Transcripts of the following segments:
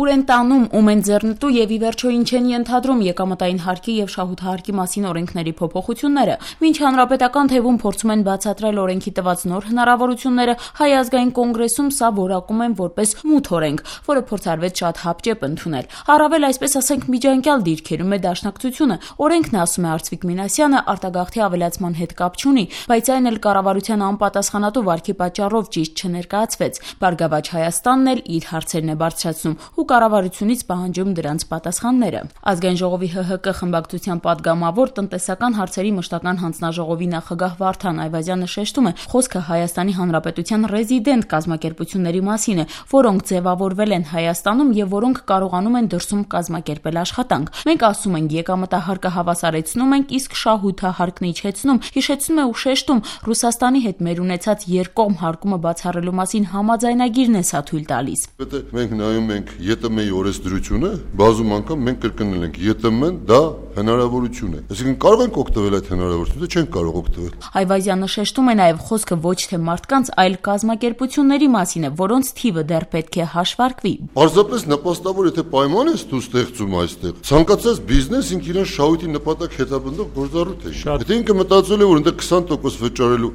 ուր են տանում, ում են ձեռնտու եւ ի վերջո ինչ են ենթադրում եկամտային հարկի եւ շահութահարկի մասին օրենքների փոփոխությունները։ Մինչ հանրապետական թևում փորձում են բացատրել օրենքի տված նոր հնարավորությունները, Հայ ազգային կոնգրեսում սա որակում են որպես մութ օրենք, որը փորձարվեց շատ հապճեպ ընդունել։ Առավել այսպես ասենք միջանկյալ դիրքերում է դաշնակցությունը։ Օրենքն, ասում է Արծվիկ Մինասյանը, արտագաղթի ավելացման հետ կապ չունի, բայց այն էլ կառավարության անպատասխանատու վարքի պատճառով ճիշտ չներկայացվեց։ Բարգավաճ Հայաստանն էլ իր հարցերն է բարձրացնում ու կառավարությունից պահանջում դրանց պատասխանները։ Ազգային ժողովի ՀՀԿ խմբակցության падգամավոր տնտեսական հարցերի մշտական հանձնաժողովի նախագահ Վարդան Այվազյանը շեշտում է, խոսքը Հայաստանի Հանրապետության ռեզիդենտ կազմակերպությունների մասին է, որոնք ձևավորվել են Հայաստանում եւ որոնք կարողանում են դրսում կազմակերպել աշխատանք։ Մենք ասում ենք եկամտահարկը հավասարեցնում ենք, իսկ շահութահարկն իջեցնում։ Հիշեցնում է ու շեշտում, Ռուսաստանի հետ մեր ունեցած երկկողմ հարկումը բացառելու մասին համաձայնագիրն է սա թույլ տալիս։ Մենք նայում ենք ԵՏՄ-ի օրենսդրությունը, բազում անգամ մենք կրկնել ենք ԵՏՄ-ն դա հնարավորություն է։ Այսինքն կարող ենք օգտվել այդ հնարավորությունից, չենք կարող օգտվել։ Այվազյանը շեշտում է նաև խոսքը ոչ թե մարդկանց, այլ կազմակերպությունների մասին է, որոնց թիվը դեռ պետք է հաշվարկվի։ Պարզապես նպաստավոր, եթե պայման ես դու ստեղծում այստեղ, ցանկացած բիզնես ինքն իրեն շահույթի նպատակ հետապնդող գործառույթ է։ Եթե ինքը մտածել է, որ այնտեղ 20% վճարելու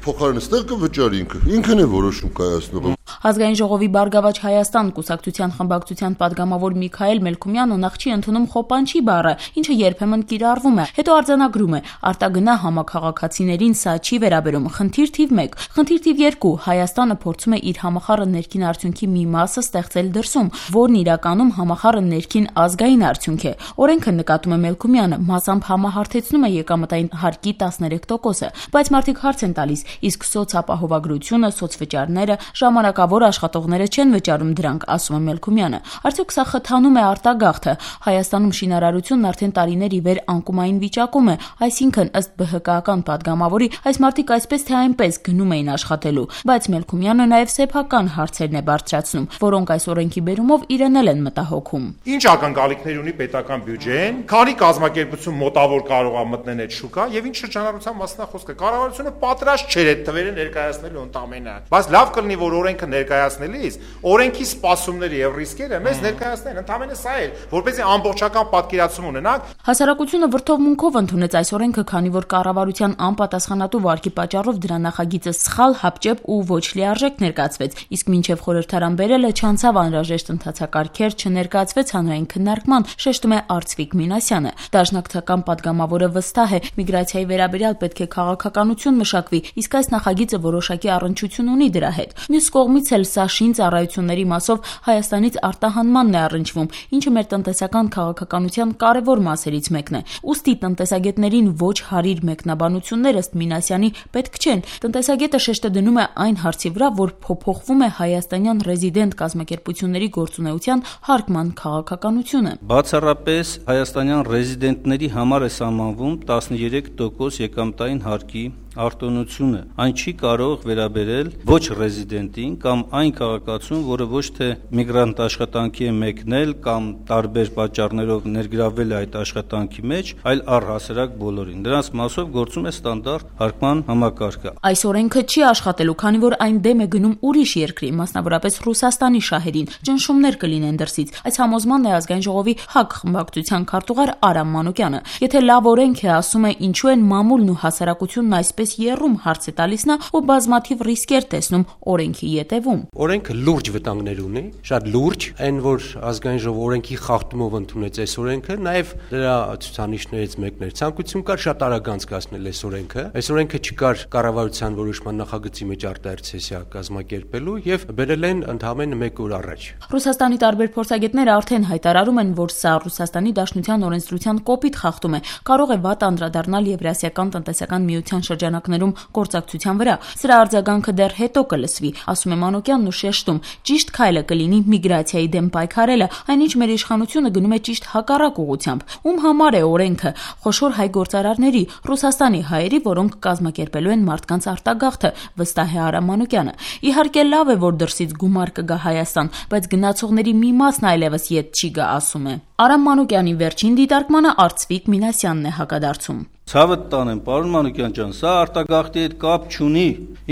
փոխարեն ստեղ կվճարի ինքն է որոշում կայացնող։ Ազգային ժողովի Բարգավաճ Հայաստան կուսակցության խմբակցության падգամավոր Միքայել Մելքումյանը նախ չի ընդունում խոպանչի բառը, ինչը երբեմն կիրառվում է, հետո արձանագրում է. արտագնա համաքաղաքացիներին սա չի վերաբերում։ Խնդիր թիվ 1, խնդիր թիվ 2, Հայաստանը փորձում է իր համախառն ներքին արդյունքի մի մասը ստեղծել դրսում, որն իրականում համախառն ներքին ազգային արդյունք է։ Օրենքը, նկատում է Մելքումյանը, մասամբ համահարթեցնում է եկամտային հարկի 13%-ը, բայց մարդիկ հարց են տալիս, իսկ սոցապահովագրությունը, սոցվճարները, ժամանակավոր աշխատողները չեն վճարում դրանք, ասում է Մելքումյանը։ Արդյոք սա խթանում է արտագաղթը։ Հայաստանում շինարարությունն արդեն տարիներ ի վեր անկումային վիճակում է, այսինքն ըստ ԲՀԿ-ական падգամավորի այս մարդիկ այսպես թե այնպես գնում էին աշխատելու, բայց Մելքումյանը նաև սեփական հարցերն է բարձրացնում, որոնք այս օրենքի բերումով իրեն են մտահոգում։ Ինչ ակնկալիքներ ունի պետական բյուջեն, քանի կազմակերպություն մոտավոր կարող է մտնել այդ շուկա եւ ինչ շրջանառության մասն է խոսքը։ Կառավարությունը պատրաստ չէր այդ թվերը ներկայացնելու ընդամենը, բայց լավ կլինի, որ օրենքը ներկայացնելիս օրենքի սպասումները եւ ռիսկերը մեզ ներկայացնեն, ընդամենը սա է, որպեսզի ամբողջական պատկերացում ունենանք։ Հասարակությունը վրդովմունքով ընդունեց այս օրենքը, քանի որ կառավարության անպատասխանատու վարքի պատճառով դրա նախագիծը սխալ, հապճեպ ու ոչ լիարժեք ներկայացվեց, իսկ մինչև խորհրդարան բերելը չանցավ անհրաժեշտ ընթացակարգեր, չներկայացվեց հանրային քննարկման, շեշտում է Արծվիկ Մինասյանը։ Դաշնակցական падգամավորը վստահ է, միգրացիայի վերաբերյալ պետք է քաղաքականություն մշակվի, իսկ այս նախագիծը որոշակի առնչություն ունի դրա հետ։ Մյուս կողմից էլ սա շին ծառայությունների մասով Հայաստանից արտահանմանն է առնչվում, ինչը մեր տնտեսական քաղաքականության կարևոր մասերից մեկն է։ Ուստի տնտեսագետներին ոչ հարիր մեկնաբանություններ ըստ Մինասյանի պետք չեն։ Տնտեսագետը շեշտը դնում է այն հարցի վրա, որ փոփոխվում է հայաստանյան ռեզիդենտ կազմակերպությունների գործունեության հարկման քաղաքականությունը։ Բացառապես հայաստանյան ռեզիդենտների համար է սահմանվում 13% եկամտային հարկի արտոնությունը։ Այն չի կարող վերաբերել ոչ ռեզիդենտին կամ այն քաղաքացուն, որը ոչ թե միգրանտ աշխատանքի է մեկնել կամ տարբեր պատճառներով ներգրավվել է այդ աշխատանքի մեջ, այլ առհասարակ բոլորին։ Դրանց մասով գործում է ստանդարտ հարկման համակարգը։ Այս օրենքը չի աշխատելու, քանի որ այն դեմ է գնում ուրիշ երկրի, մասնավորապես Ռուսաստանի շահերին։ Ճնշումներ կլինեն դրսից։ Այս համոզմանն է ազգային ժողովի ՀԱԿ խմբակցության քարտուղար Արամ Մանուկյանը։ Եթե լավ օրենք է, ասում է, ինչու են մամուլն ու հասարակությունն այսպես երում, հարց է տալիս նա ու բազմաթիվ ռիսկեր տեսնում օրենքի ետևում։ Օրենքը լուրջ վտանգներ ունի, շատ լուրջ, այն որ ազգային ժողովը օրենքի խախտումով ընդունեց այս օրենքը, նաև դրա ցուցանիշներից մեկն էր ցանկություն կար շատ արագ անցկացնել այս օրենքը։ Այս օրենքը չկար կառավարության որոշման նախագծի մեջ արտահերթ սեսիա կազմակերպելու եւ բերել են ընդհանրապես 1 օր առաջ։ Ռուսաստանի տարբեր փորձագետներ արդեն հայտարարում են, որ սա Ռուսաստանի Դաշնության օրենսդրության կոպիտ խախտում է, կարող է վատ անդրադառնալ Եվրասիական տնտեսական միության շրջանակներում գործակցության վրա։ Սրա արձագանքը դեռ հետո կլսվի, ասում է Մանուկյանն ու շեշտում, ճիշտ քայլը կլինի միգրացիայի դեմ պայքարելը, այնինչ մեր իշխանությունը գնում է ճիշտ հակառակ ուղղությամբ։ Ում համար է օրենքը։ Խոշոր հայ գործարարների, Ռուսաստանի հայերի, որոնք կազմակերպելու են մարդկանց արտագաղթը, վստահ է Արամ Մանուկյանը։ Իհարկե լավ է, որ դրսից գումար կգա Հայաստան, բայց գնացողների մի մասն այլևս ետ չի գա, ասում է։ Արամ Մանուկյանի վերջին դիտարկմանը Արծվիկ Մինասյանն է հակադարձում։ Ցավը տանեմ, պարոն Մանուկյան ջան, սա արտագաղթի հետ կապ չունի։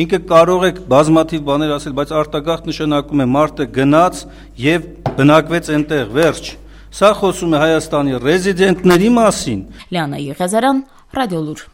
Ինքը կարող է բազմաթիվ բաներ ասել, բայց արտագաղթ նշանակում է մարդը գնաց եւ բնակվեց այնտեղ, վերջ։ Սա խոսում է Հայաստանի ռեզիդենտների մասին։ Լիանա Եղիազարյան, Ռադիոլուր։